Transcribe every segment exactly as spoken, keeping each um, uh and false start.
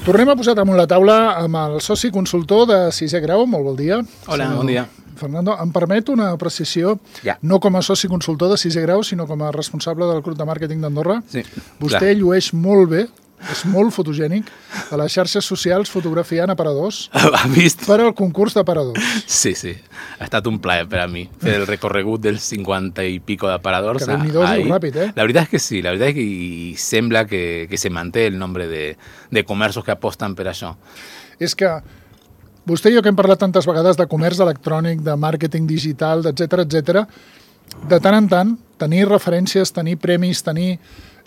Tornem a posar damunt la taula amb el soci consultor de sisè grau. Molt bon dia. Hola, bon dia. Fernando, em permet una precisió, ja. no com a soci consultor de sisè grau, sinó com a responsable del grup de màrqueting d'Andorra. Sí, Vostè clar. llueix molt bé, és molt fotogènic, a les xarxes socials fotografiant aparadors Ha vist? per al concurs d'aparadors. Sí, sí. Ha estat un plaer per a mi fer el recorregut dels cinquanta i pico d'aparadors. Que Déu-n'hi-do, es diu ràpid, eh? La veritat és que sí, la veritat és que i sembla que, que se manté el nombre de, de comerços que aposten per això. És que vostè i jo que hem parlat tantes vegades de comerç electrònic, de màrqueting digital, etcètera, etcètera, de tant en tant, tenir referències, tenir premis, tenir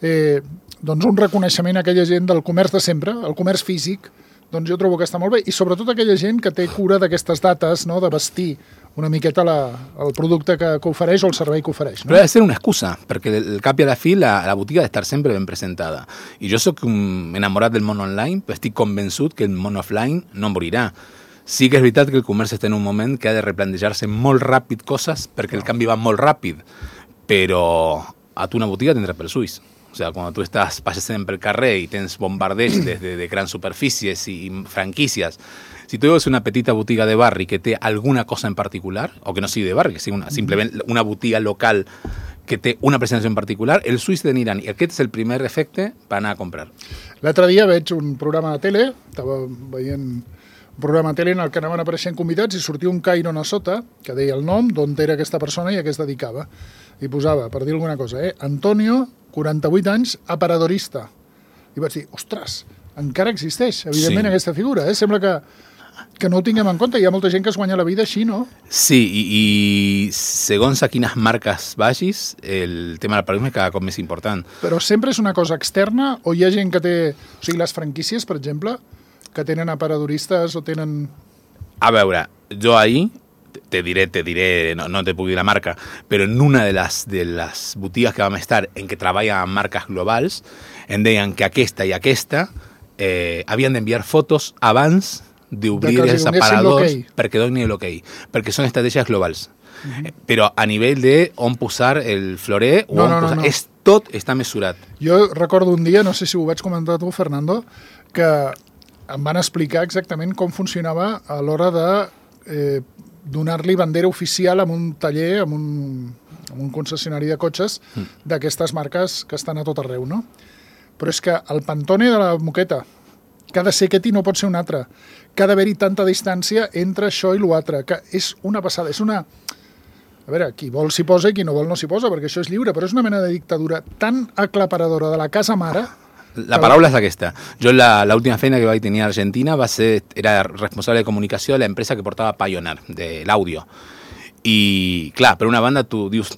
eh, doncs un reconeixement a aquella gent del comerç de sempre, el comerç físic, doncs jo trobo que està molt bé. I sobretot aquella gent que té cura d'aquestes dates, no?, de vestir una miqueta la, el producte que, que ofereix o el servei que ofereix. No? Però ha de ser una excusa, perquè al cap i a la fi la, la botiga ha d'estar sempre ben presentada. I jo soc un enamorat del món online, però estic convençut que el món offline no morirà. Sí que és veritat que el comerç està en un moment que ha de replantejar-se molt ràpid coses, perquè el canvi va molt ràpid, però a tu una botiga tindrà pels ulls. O sea, cuando tú estás pasando por el carrer y tienes bombardeos desde de gran superficies y franquicias, si tú ves una petita botiga de barri que té alguna cosa en particular, o que no sigui de barri, que sigui una, simplement una botiga local que té una presència en particular, els ulls t'aniran, i aquest és el primer efecte per anar a comprar. L'altre dia veig un programa de tele, estava veient un programa de tele en el que anaven apareixent convidats i sortia un cairon a sota que deia el nom, d'on era aquesta persona i a què es dedicava. I posava, per dir alguna cosa, eh? Antonio, quaranta-vuit anys, aparadorista. I vaig dir, ostres, encara existeix, evidentment, sí. Aquesta figura. Eh? Sembla que, que no ho tinguem en compte. Hi ha molta gent que es guanya la vida així, no? Sí, i, i segons a quines marques vagis, el tema del paradigma és cada cop més important. Però sempre és una cosa externa o hi ha gent que té... O sigui, les franquícies, per exemple, que tenen aparadoristes o tenen... A veure, jo ahir... te diré, te diré, no, no te puc dir la marca, però en una de les, de les botigues que vam estar en què treballen amb marques globals, em deien que aquesta i aquesta eh, havien d'enviar fotos abans d'obrir de els aparadors perquè donin l'ok, perquè són estratègies globals. Uh-huh. eh, però a nivell de on posar el florer, o no, on no, posar, no, no. És, tot està mesurat. Jo recordo un dia, no sé si ho vaig comentar tu, Fernando, que em van explicar exactament com funcionava a l'hora de eh, donar-li bandera oficial amb un taller, amb un, amb un concessionari de cotxes mm. d'aquestes marques que estan a tot arreu, no? Però és que el Pantone de la moqueta, que ha de ser aquest i no pot ser un altre, que ha d'haver-hi tanta distància entre això i l'altre, que és una passada, és una... A veure, qui vol s'hi posa i qui no vol no s'hi posa, perquè això és lliure, però és una mena de dictadura tan aclaparadora de la casa mare. La paraula és aquesta. Jo l'última feina que vaig tenir a Argentina va ser, era responsable de comunicació de l'empresa que portava Pioneer, de l'àudio. I, clar, per una banda tu dius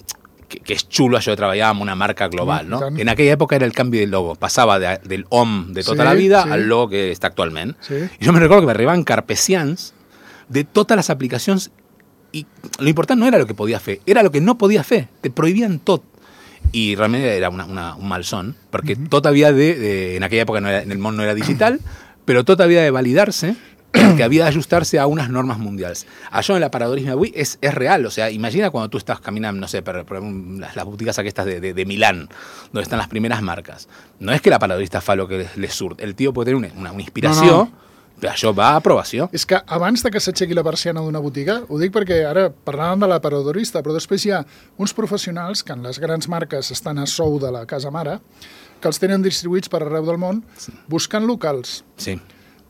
que, que és xulo això de treballar amb una marca global, no? En aquella època era el canvi del logo. Passava de, del hom de tota sí, la vida sí. al logo que està actualment. Sí. I jo me recordo que m'arribaven carpesians de totes les aplicacions i l'important no era el que podia fer, era el que no podia fer. Te prohibien tot. I realment era una, una, un malson, perquè uh-huh. tot havia de, de... En aquella època no era, en el món no era digital, però tot havia de validar-se, que havia d'ajustar-se a unes normes mundials. Això en l'aparadorisme avui és, és real. O sea, imagina quan tu estàs caminant, no sé, per, per les, les botigues aquestes de, de, de Milán, donde están las primeras marcas. No és que l'aparadorista fa lo que le surt. El tio pot tenir una, una, una inspiració... No, no. Però això va a aprovació. És que abans de que s'aixequi la persiana d'una botiga, ho dic perquè ara parlàvem de l'aparadorista, però després hi ha uns professionals que en les grans marques estan a sou de la casa mare, que els tenen distribuïts per arreu del món, sí. buscant locals. Sí.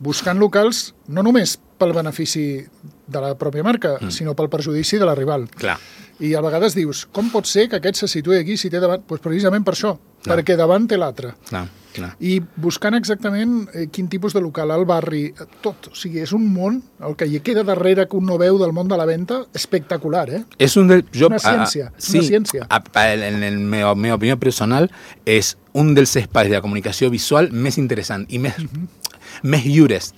Buscant locals no només pel benefici de la pròpia marca, mm. sinó pel perjudici de la rival. Clar. I a vegades dius, com pot ser que aquest se situï aquí si té davant? Doncs precisament per això, Clar. perquè davant té l'altre. Clar. Clar. I buscant exactament eh, quin tipus de local, el barri, tot. O sigui, és un món, el que hi queda darrere que un no veu del món de la venda, espectacular, eh? És un del, jo, una ciència, a, a, és sí, una ciència. A, a, en el meu, meu opinió personal, és un dels espais de la comunicació visual més interessant i més, uh-huh. més lliures,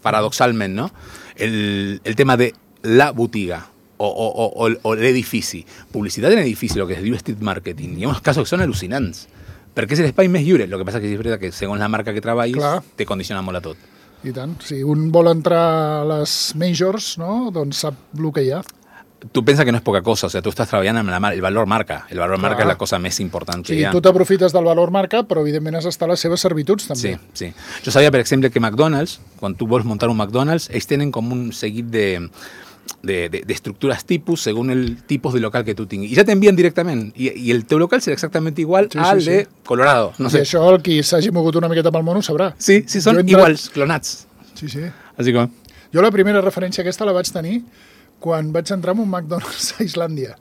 paradoxalment, no? El, el tema de la botiga o, o, o, o l'edifici. Publicitat en edifici, el que es diu street marketing. Hi ha uns casos que són al·lucinants. Perquè és l'espai més lliure. El que passa que és veritat que segons la marca que treballis Clar. te condiciona molt a tot. I tant. Si un vol entrar a les majors, no? Doncs sap el que hi ha. tu pensa que no és poca cosa, o sea, tu estàs treballant amb la mar el valor marca. El valor Clar. marca és la cosa més important que Sí, hi ha. tu t'aprofites del valor marca, però evidentment has d'estar a les seves servituds també. Sí, sí. Jo sabia, per exemple, que McDonald's, quan tu vols muntar un McDonald's, ells tenen com un seguit de, de, de, de estructures tipus según el tipus de local que tu tinguis. I ja t'envien directament. I, I el teu local serà exactament igual Sí, al sí, sí. de Colorado. No I sé. això el qui s'hagi mogut una miqueta pel món ho sabrà. Sí, sí, són Jo he entrat- iguals, clonats. Sí, sí. Així que... Jo la primera referència aquesta la vaig tenir quan vaig entrar en un McDonald's a Islàndia.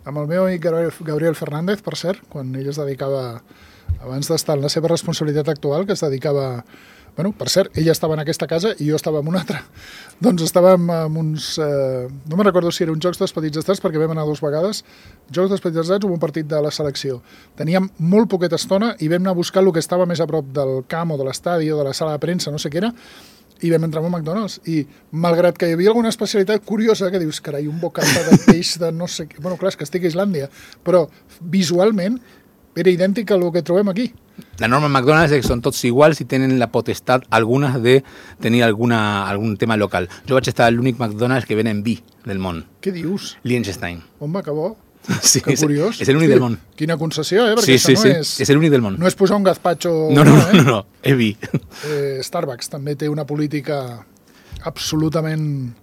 Amb el meu amic Gabriel, Gabriel Fernández, per cert, quan ell es dedicava, abans d'estar en la seva responsabilitat actual, que es dedicava... Bueno, per cert, ell estava en aquesta casa i jo estava en una altra. Doncs estàvem amb uns... Eh, no me'n recordo si era un Jocs dels Petits Estats, perquè vam anar dues vegades. Jocs dels Petits Estats o un partit de la selecció. Teníem molt poqueta estona i vam anar a buscar el que estava més a prop del camp o de l'estadi o de la sala de premsa, no sé què era, i vam entrar a un McDonald's. I malgrat que hi havia alguna especialitat curiosa, que dius, carai, un bocata de peix de no sé què... Bueno, clar, és que estic a Islàndia, però visualment era idèntic al que trobem aquí. La norma en McDonald's és que són tots iguals i tenen la potestat algunes de tenir alguna, algun tema local. Jo vaig estar a l'únic McDonald's que venen vi del món, Què dius? Liechtenstein. Home, que bo. Sí, Que és, curiós. és l'únic del món. Quina concessió, eh? Sí, Perquè sí, això sí, no és... és l'únic del món. No és posar un gazpacho... No, no, no, eh? no, no, és vi. Eh, Starbucks també té una política absolutament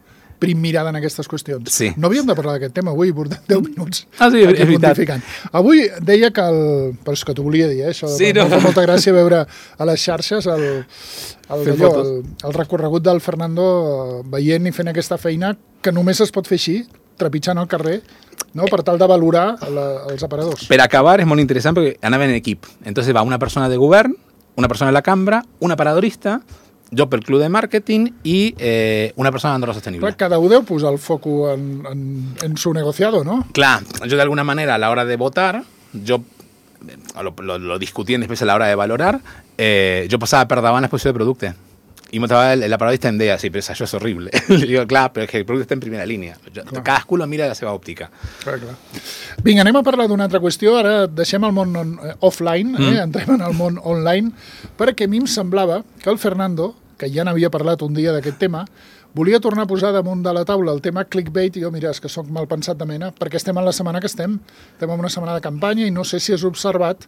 primmirada en aquestes qüestions. Sí. No havíem de parlar d'aquest tema avui, portem deu minuts. Ah, sí, aquí és veritat. pontificant. Avui deia que el... Però és que t'ho volia dir, eh? Això Sí, no. no. Em fa molta gràcia veure a les xarxes el, el, Fent allò, fotos. el, el recorregut del Fernando eh, veient i fent aquesta feina que només es pot fer així, trepitjant al carrer, no? Per tal de valorar la, els aparadors. Per acabar, és molt interessant perquè anaven en equip. Entonces va una persona de govern, una persona de la cambra, un aparadorista, jo pel club de màrqueting i eh, una persona d'Andorra Sostenible. Clar, cada un deu posar el foco en, en, en su negociado, no? Clar, jo d'alguna manera a l'hora de votar, jo lo, lo, lo discutien després a l'hora de valorar, eh, jo passava per davant l'exposició de producte. I l'aparadorista em deia, sí, però això és horrible. Li dic, clar, però és que el producte està en primera línia. Jo, cadascú lo mira de la seva òptica. Clar, clar. Vinga, anem a parlar d'una altra qüestió. Ara deixem el món on, eh, offline, eh? Mm. Entrem en el món online, perquè a mi em semblava que el Fernando, que ja n'havia parlat un dia d'aquest tema, volia tornar a posar damunt de la taula el tema clickbait, i jo, mira, és que sóc mal pensat de mena, perquè estem en la setmana que estem, estem en una setmana de campanya, i no sé si has observat,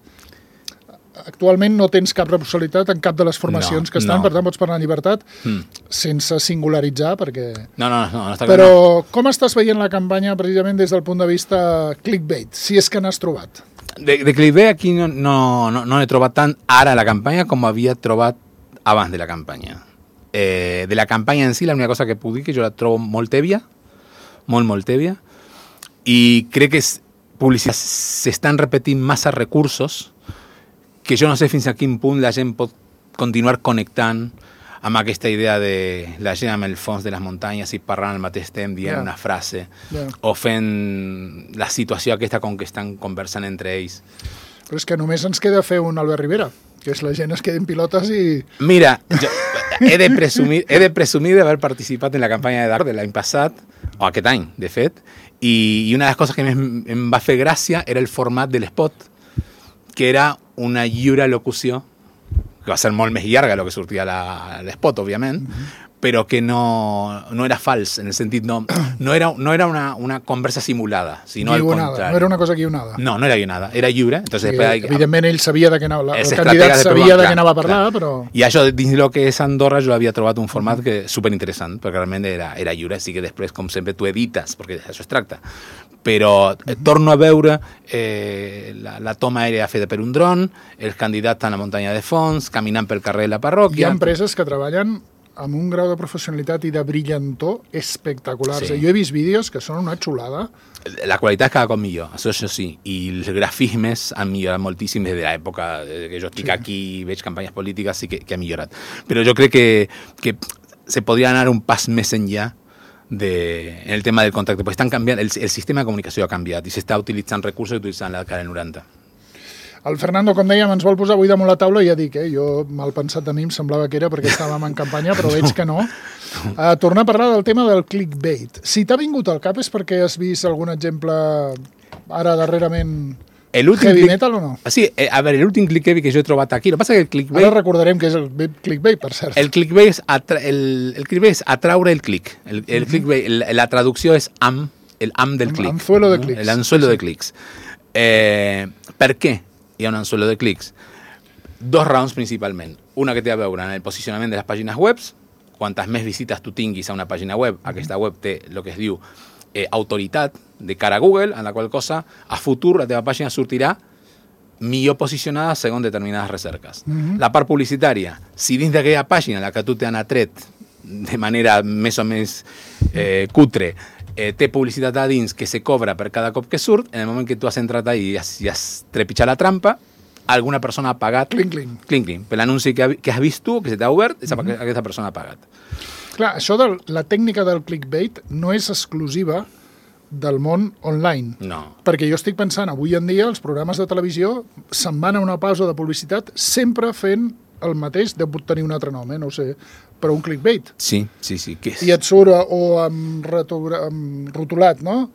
actualment no tens cap responsabilitat en cap de les formacions No, que estan, no. per tant pots parlar en llibertat, Mm. sense singularitzar, perquè... No, no, no, no està clar. Però com estàs veient la campanya precisament des del punt de vista clickbait, si és que n'has trobat? De, de clickbait aquí no, no, no, no he trobat tant ara a la campanya com havia trobat abans de la campanya. Eh, de la campanya en si, la única cosa que puc dir que jo la trobo molt tèbia, molt, molt tèbia, i crec que és, publicitat s'estan repetint massa recursos que jo no sé fins a quin punt la gent pot continuar connectant amb aquesta idea de la gent amb el fons de les muntanyes i parlant al mateix temps, dient Yeah. una frase, Yeah. o fent la situació aquesta com que estan conversant entre ells. Però és que només ens queda fer un Albert Rivera, que és la gent es queda en pilotes i... Mira, jo he de presumir, he de presumir d'haver participat en la campanya de Dark de l'any passat, o aquest any, de fet, i, i una de les coses que més em va fer gràcia era el format de l'espot, que era una lliure locució, que va ser molt més llarga del que sortia a l'espot, òbviament, mm-hmm. però que no, no era fals, en el sentit, no, no era, no era una, una conversa simulada, sinó al guionada, contrari. no era una cosa guionada. No, no era guionada, era lliure. Entonces, Sí, després, evidentment ell sabia de què anava, el És candidat estratega de sabia trobar, de clar, què anava a parlar, clar. però... I això, dins del que és Andorra, jo havia trobat un format que superinteressant, perquè realment era, era lliure, sí que després, com sempre, tu edites, perquè això es tracta. Però eh, torno a veure eh, la, la toma aèrea feta per un dron, els candidats a la muntanya de fons, caminant pel carrer de la Hi parròquia... ha empreses que treballen amb un grau de professionalitat i de brillantor espectaculars. Sí. Jo he vist vídeos que són una xulada. La qualitat és cada cop millor, això, això sí, i els grafismes han millorat moltíssim des de l'època que jo estic sí. aquí i veig campanyes polítiques, sí que, que ha millorat. Però jo crec que, que se podria anar un pas més enllà de, en el tema del contacte, perquè estan canviant, el, el sistema de comunicació ha canviat i s'està utilitzant recursos que utilitzant la dècada del noranta. El Fernando, com dèiem, ens vol posar avui damunt la taula i ja dic, eh, jo mal pensat de mi em semblava que era perquè estàvem en campanya, però veig que no. A tornar a parlar del tema del clickbait. Si t'ha vingut al cap és perquè has vist algun exemple ara darrerament heavy click... metal o no? Sí, eh, a veure, l'últim clickbait que jo he trobat aquí, el que passa que el clickbait... Ara recordarem que és el clickbait, per cert. El clickbait és, atra... el, el clickbait és atraure el click. El, el clickbait, la, la traducció és am, el am del clic. Anzuelo de no? clics. El anzuelo sí. de clics. Eh, per què hi ha un anzuelo de clics? Dos raons principalment. Una que té a veure en el posicionament de les pàgines web. Quantes més visites tu tinguis a una pàgina web, mm-hmm. aquesta web té el que es diu eh, autoritat de cara a Google, en la qual cosa a futur la teva pàgina sortirà millor posicionada segons determinades recerques. Mm-hmm. La part publicitària, si dins d'aquella pàgina en la que tu t'han atret de manera més o més eh, cutre, eh, té publicitat a dins que se cobra per cada cop que surt, en el moment que tu has entrat ahí i has, i has trepitjat la trampa, alguna persona ha pagat... Cling, cling. Cling, cling. Per l'anunci que, que has vist tu, que se t'ha obert, mm-hmm. aquesta persona ha pagat. Clar, això de la tècnica del clickbait no és exclusiva del món online. No. Perquè jo estic pensant, avui en dia els programes de televisió se'n van a una pausa de publicitat sempre fent el mateix, deu tenir un altre nom, eh? No ho sé, però un clickbait. Sí, sí, sí. Què és? I et surt o amb, retura, amb rotulat, no?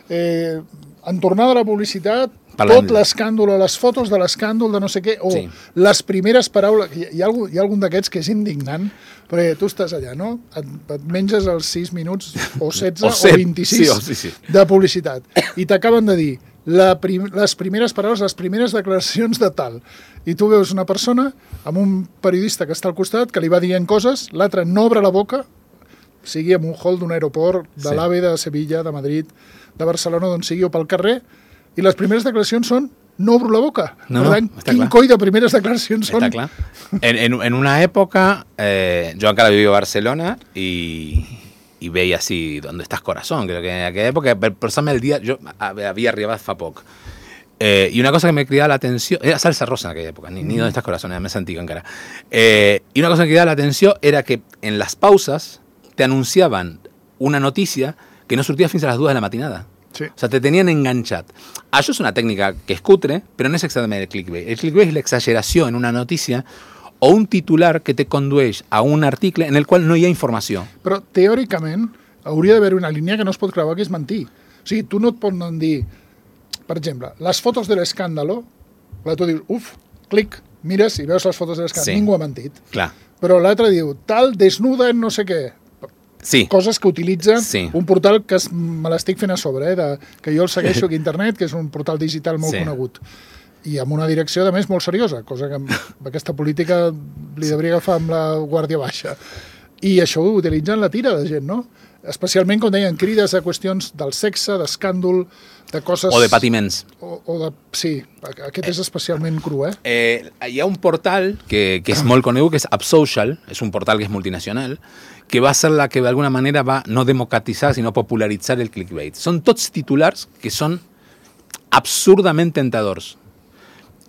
Eh, en tornada a la publicitat, Parlant... tot l'escàndol o les fotos de l'escàndol de no sé què, o sí. les primeres paraules... Hi, hi, ha, algun, hi ha algun d'aquests que és indignant, perquè tu estàs allà, no? Et, et menges els sis minuts, o setze, o, set, o vint-i-sis sí, sí, sí. de publicitat, i t'acaben de dir la prim, les primeres paraules, les primeres declaracions de tal, i tu veus una persona amb un periodista que està al costat, que li va dient coses, l'altre no obre la boca, sigui en un hall d'un aeroport, de sí. l'AVE, de Sevilla, de Madrid, de Barcelona, d'on sigui, o pel carrer, i les primeres declaracions són no obro la boca. No, per tant, no, quin clar. coi de primeres declaracions són? Està clar. En, en, en una època, eh, jo encara vivia a Barcelona i, i veia así, ¿dónde estás corazón? Creo que en aquella època, per posar-me el dia, jo havia arribat fa poc. Eh, I una cosa que me cridava l'atenció, era Salsa Rosa en aquella època, ni, ni ¿Dónde estás corazón? Era més antiga encara. Eh, I una cosa que me cridava l'atenció era que en les pauses te anunciaven una notícia que no sortia fins a les dues de la matinada. Sí. O sea, te tenían enganxat. Això és una tècnica que és cutre, però no és exactament el clickbait. El clickbait és l'exageració en una notícia o un titular que te condueix a un article en el qual no hi ha informació. Però, teòricament, hauria d'haver una línia que no es pot creuar, que és mentir. O sigui, tu no et poden dir, per exemple, les fotos de l'escàndalo, tu dius, uf, clic, mires i veus les fotos de l'escàndalo. Sí. Ningú ha mentit. Clar. Però l'altre diu, tal, desnuda en no sé què. Sí. Coses que utilitza sí. un portal que es, me l'estic fent a sobre, eh, de, que jo el segueixo aquí a internet, que és un portal digital molt sí. conegut. I amb una direcció, de més, molt seriosa, cosa que amb aquesta política li devria agafar amb la guàrdia baixa. I això ho utilitzen la tira de gent, no? Especialment, com deien, crides a qüestions del sexe, d'escàndol, de coses... O de patiments. O, o de... Sí, aquest és especialment cru, eh? eh hi ha un portal que, que és molt conegut, que és AppSocial, és un portal que és multinacional, que va ser la que d'alguna manera va no democratitzar, sinó popularitzar el clickbait. Són tots titulars que són absurdament tentadors.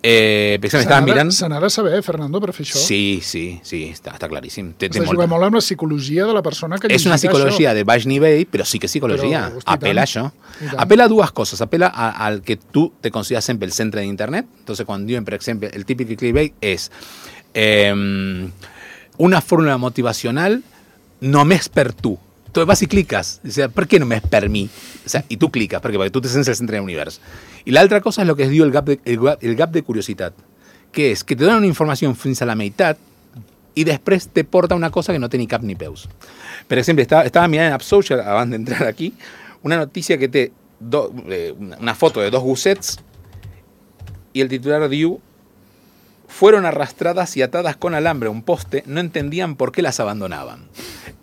Eh, per exemple, estava mirant... Se n'ha de saber, Fernando, per fer això? Sí, sí, sí, està, està claríssim. Té, té molt... molt amb la psicologia de la persona que és una psicologia això. De baix nivell, però sí que psicologia. Però, hosti, apela a això. Apela a dues coses. Apela a, al que tu te consideras sempre el centre d'internet. Entonces, quan diuen, per exemple, el típic clickbait és eh, una fórmula motivacional només per tu. Tu vas i cliques. O sea, per què només per mi? O sea, i tu cliques, perquè, perquè tu te sents el centre de l'univers. I l'altra cosa és el que es diu el gap de, el, el gap de curiositat, que és que te donen una informació fins a la meitat i després te porta una cosa que no té ni cap ni peus. Per exemple, estava, estava mirant en AppSocial, abans d'entrar aquí, una notícia que té do, eh, una foto de dos gossets y el titular diu: fueron arrastradas y atadas con alambre a un poste, no entendían por qué las abandonaban.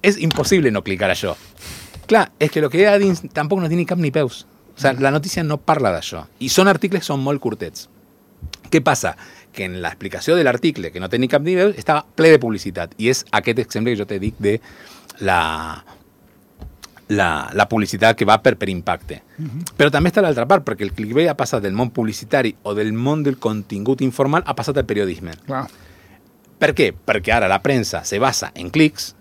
És impossible no clicar això. Clar, és que el que hi ha dins tampoc no té ni cap ni peus. O sea, la notícia no parla d'això. I són articles que són molt curtets. Què passa? Que en l'explicació de l'article, que no té ni cap ni peus, estava ple de publicitat. I és aquest exemple que jo te dic de la, la, la publicitat que va per, per impacte. Uh-huh. Però també està l'altra part, perquè el clickbait ha passat del món publicitari o del món del contingut informal ha passat al periodisme. Clar. Per què? Perquè ara la premsa se basa en clics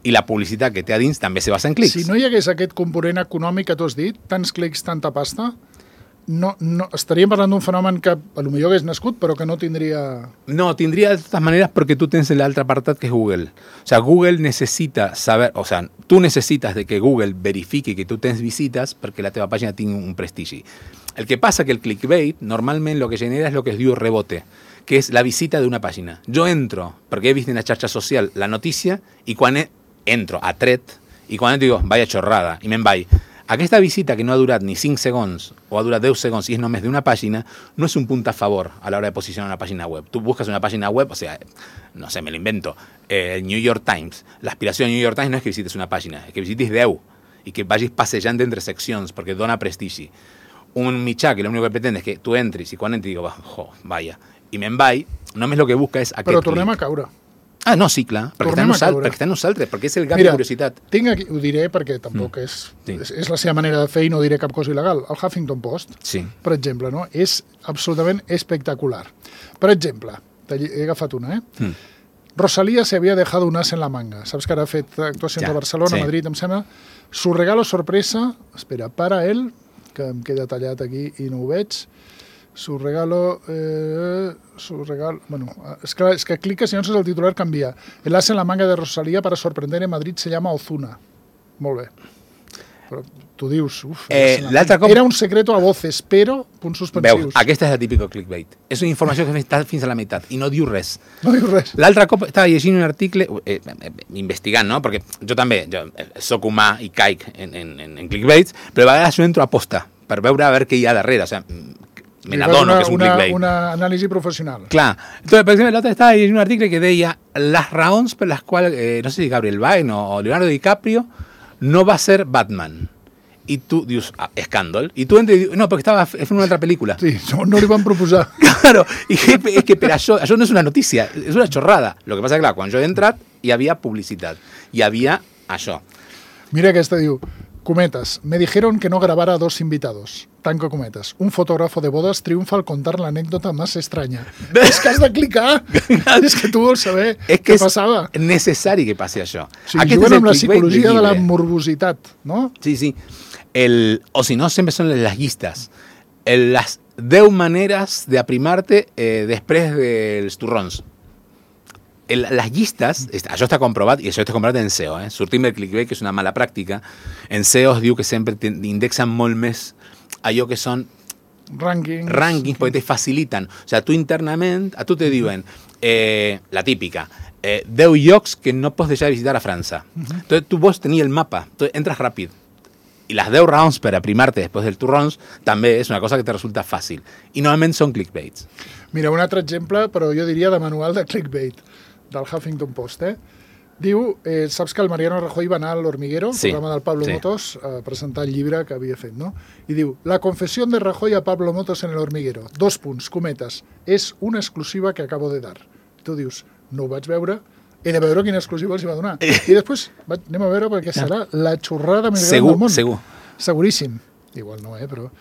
i la publicitat que té a dins també se basa en clics. Si no hi hagués aquest component econòmic que tu has dit, tants clics, tanta pasta, no, no, estaríem parlant d'un fenomen que a lo millor hagués nascut, però que no tindria... No, tindria de totes maneres perquè tu tens l'altre apartat que és Google. O sea, Google necessita saber... O sea, tu necessites de que Google verifiqui que tu tens visites perquè la teva pàgina tingui un prestigi. El que passa que el clickbait normalment lo que genera és lo que es diu rebote, que és la visita d'una pàgina. Jo entro, perquè he vist en la xarxa social la notícia, i quan he, entro, atret, i quan entro digo, vaya chorrada, i me'n vaig. Aquesta visita, que no ha durat ni cinc segons o ha durat deu segons i és només d'una pàgina, no és un punt a favor a l'hora de posicionar una pàgina web. Tu buscas una pàgina web, o sea, no sé, me lo invento, el eh, New York Times. L'aspiració del New York Times no és que visites una pàgina, és que visites deu i que vagis passejant entre seccions perquè dona prestigi. Un mitjà que l'únic que pretende és que tu entris i quan entri digo, oh, vaya, i me'n vaig, només el que busca és aquest Però tornem clic. a caure. Ah, no, sí, clar, perquè està, nosal, perquè està en nosaltres, perquè és el gap Mira, de curiositat. Tinc aquí, ho diré perquè tampoc mm. és, sí. és, és la seva manera de fer i no diré cap cosa il·legal. El Huffington Post, sí. per exemple, no? És absolutament espectacular. Per exemple, he agafat una, eh? Mm. Rosalía se había dejado un as en la manga. Saps que ara ha fet actuacions ja, a Barcelona, sí. Madrid, em sembla. Su regalo sorpresa, espera, para él, que em queda tallat aquí i no ho veig. Su regalo, eh, su regalo, bueno, es que, es que cliques y no sé si el titular canvia. El as en la manga de Rosalía para sorprender en Madrid se llama Ozuna. Molt bé. Però tu dius, uf, eh, cop... era un secreto a voces, però punts suspensius. Veus, aquesta és el típico clickbait. És una informació que està fins a la meitat i no diu res. No diu res. L'altre cop estava llegint un article, eh, eh, investigant, no? Perquè jo també, jo soc humà i caic en, en, en clickbaits, però a vegades jo entro a posta per veure a veure què hi ha darrere. O sigui, me n'adono que és un una, clickbait. Una anàlisi professional. Clar. Entonces, per exemple, l'altre estava llegint un article que deia les raons per les quals, eh, no sé si Gabriel Byrne o Leonardo DiCaprio no va ser Batman. I tu dius, ah, escàndol. I tu entres i dius, no, perquè estava fent una altra pel·lícula. Sí, no, no li van proposar. Claro, i és que per això, això no és una notícia, és una xorrada. Lo que passa que, clar, quan jo he entrat, hi havia publicitat. Hi havia això. Mira aquesta, diu, cometas, me dijeron que no grabara a dos invitados. Tanco cometas. Un fotógrafo de bodas triunfa al contar la anécdota más extraña. És que has de clicar. És que tu vols saber és què és passava. És necessari que passi això. Sí, juguen amb la psicologia de la morbositat, no? Sí, sí. El, o si no, sempre són les llistes. El, les deu maneres d'aprimar-te eh, després dels torrons. El, les llistes, això està comprovat, i això està comprovat en S E O, eh? Sortim del clickbait, que és una mala pràctica. En S E O es diu que sempre indexen molt més allò que són rankings, rankings perquè te faciliten. O sigui, tu internament, a tu te diuen, eh, la típica, eh, deu llocs que no pots deixar de visitar a França. Uh-huh. Entonces tu vols tenir el mapa, entonces entras ràpid. I les deu raons per aprimar-te després del torrons també és una cosa que te resulta fàcil. I normalment són clickbaits. Mira, un altre exemple, però jo diria de manual de clickbait, del Huffington Post, eh? Diu, eh, saps que el Mariano Rajoy va anar a l'Hormiguero, sí, programa del Pablo sí. Motos, a presentar el llibre que havia fet, no? I diu, la confessió de Rajoy a Pablo Motos en el Hormiguero. Dos punts, cometes. És una exclusiva que acabo de dar. Tu dius, no ho vaig veure, he de veure quina exclusiva els hi va donar. I després vaig, anem a veure perquè serà la xorrada més segur, gran del món. Segur, Seguríssim. Igual no, eh, però...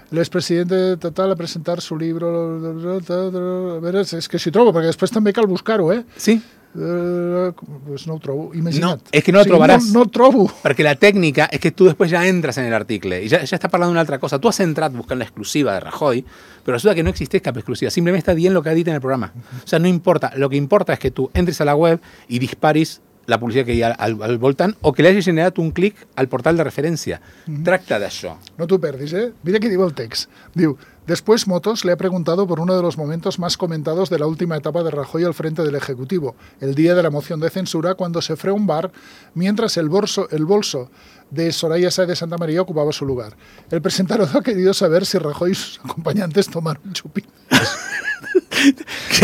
El expresidente total a presentar su libro... A veure, és que s'hi trobo, perquè després també cal buscar-ho, eh? Sí. Uh, pues no ho trobo, imagina't. No, és que no ho sí, trobaràs. No, no ho trobo. Perquè la tècnica és que tu després ja entres en l'article i ja, ja està parlant d'una altra cosa. Tu has entrat buscant l'exclusiva de Rajoy, però resulta que no existeix cap exclusiva. Simplement està dient el que ha dit en el programa. O sea, no importa. Lo que importa és que tu entres a la web i disparis la publicitat que hi ha al, al voltant o que li hagi generat un clic al portal de referència. Mm-hmm. Tracta d'això. No t'ho perdis, eh? Mira què diu el text. Diu, después Motos le ha preguntado por uno de los momentos más comentados de la última etapa de Rajoy al frente del Ejecutivo, el día de la moción de censura, cuando se fue a un bar mientras el bolso, el bolso de Soraya Sáez de Santa María ocupaba su lugar. El presentador ha querido saber si Rajoy y sus acompañantes tomaron chupín.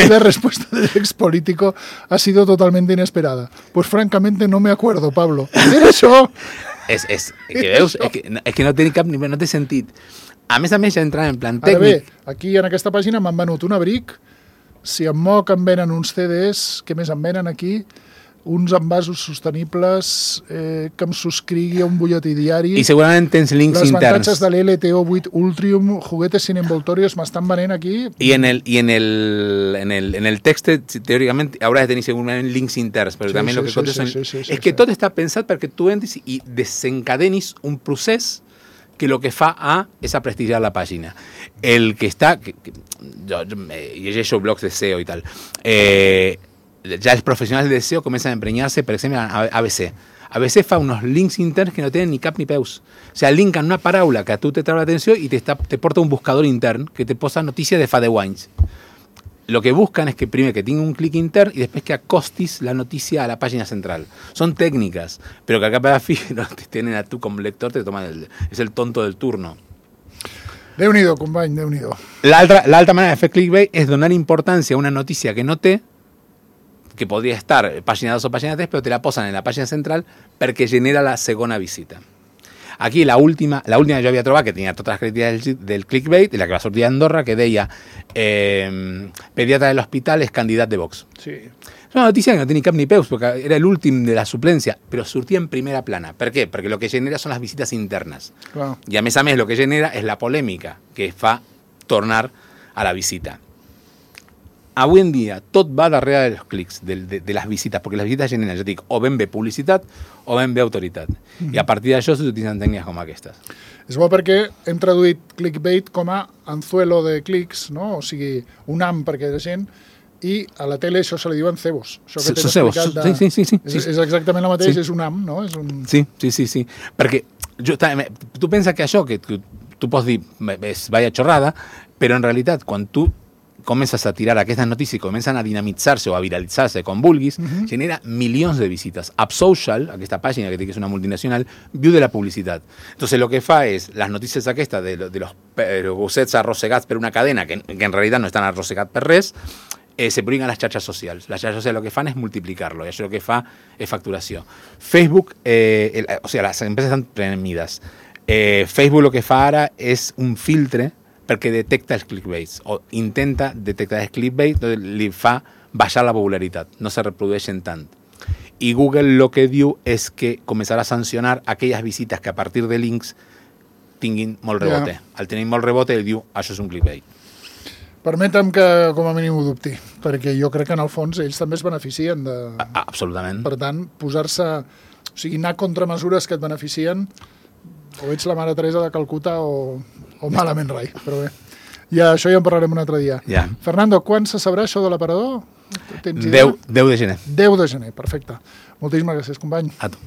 La respuesta del ex político ha sido totalmente inesperada. Pues francamente no me acuerdo, Pablo. Era això! És, és, que veus, és, que, és que no té cap no té sentit. A més a més, ja entrant en plan tècnic... Ara bé, aquí en aquesta pàgina m'han venut un abric, si em moc em venen uns C Ds, què més em venen aquí? Uns envasos sostenibles, eh, que em subscrigui a un butlletí diari... I segurament tens links les interns. Les avantatges de l'L T O vuit Ultrium, juguetes sin envoltorios, m'estan venent aquí... I en el, i en el, en el, en el text, teòricament, hauràs de tenir segurament links interns, però sí, també sí, el que sí, contes sí, són... sí, sí, sí, és que sí. tot està pensat perquè tu entres i desencadenis un procés que el que fa a és a prestigiar la pàgina. El que està... Que, que, jo, jo eh, llegeixo blogs de S E O i tal... Eh, ja els professionals de S E O comencen a emprenyar-se, per exemple, a A B C. A B C fa unos links interns que no tenen ni cap ni peus. O sea, linken una paraula que a tu te trau l'atenció i te, está, te porta un buscador intern que te posa notícies de fa deu anys. lo que buscan es que primero que tenga un clic intern y después que acostis la noticia a la página central. Son técnicas, pero que acá para fi no te tienen a tú como lector, te toman el, es el tonto del turno. Déu-n'hi-do, company, Déu-n'hi-do. L'altra l'altra manera de fer clickbait és donar importància a una notícia que no té, que podria estar pàgina dos o pàgina tres, però te la posen en la pàgina central perquè genera la segona visita. Aquí la última, la última que jo havia trobat, que tenia totes les característiques del, del clickbait, la que va sortir a Andorra, que deia eh, pediatra de l'hospital és candidat de Vox. Sí. És una notícia que no té ni cap ni peus, perquè era l'últim de la suplència, però sortia en primera plana. Per què? Perquè el que genera són les visites internes. Clar. I a més a més el que genera és la polèmica que fa tornar a la visita. Avui en dia tot va darrere dels clics, de, de, de les visites, perquè les visites generen, jo dic, o ben bé publicitat o ben bé autoritat. Mm-hmm. I a partir d'això s'utilitzen tècniques com aquestes. És bo perquè hem traduït clickbait com a anzuelo de clics, no? O sigui, un am perquè la gent, i a la tele això se li diuen cebos. Això que t'he explicat de... Sí, sí, sí, sí. És, és exactament el mateix, sí. És un am, no? És un... Sí, sí, sí, sí. Perquè jo, tu penses que això, que tu, tu pots dir, és vaya xorrada, però en realitat, quan tu comences a tirar aquestes notícies i comencen a dinamitzar-se o a viralitzar-se com vulguis, uh-huh. genera milions de visites. AppSocial, aquesta pàgina que té que és una multinacional, viu de la publicitat. Entonces lo que fa és, les notícies aquestes de, de los gossets arrossegats per una cadena, que, que en realitat no estan arrossegats per res, eh, se publiquen a les xarxes socials. Les xarxes socials lo que fan és multiplicar-lo, i això el que fa és facturació. Facebook, eh, el, o sigui, les empreses estan premides. Eh, Facebook lo que fa ara és un filtre perquè detecta els clickbaits, o intenta detectar els clickbaits, li fa baixar la popularitat, no se reprodueixen tant. I Google lo que diu és que començarà a sancionar aquelles visites que a partir de links tinguin molt rebote. Yeah. Al tenir molt rebote, ell diu, això és un clickbait. Permetem que com a mínim ho dubti, perquè jo crec que en el fons ells també es beneficien de... A, absolutament. Per tant, posar-se... O sigui, anar contra mesures que et beneficien, o ets la mare Teresa de Calcuta o, o malament rai, però bé. Ja, això ja en parlarem un altre dia. Ja. Fernando, quan se sabrà això de l'aparador? deu de gener. deu de gener, perfecte. Moltíssimes gràcies, company. A tu.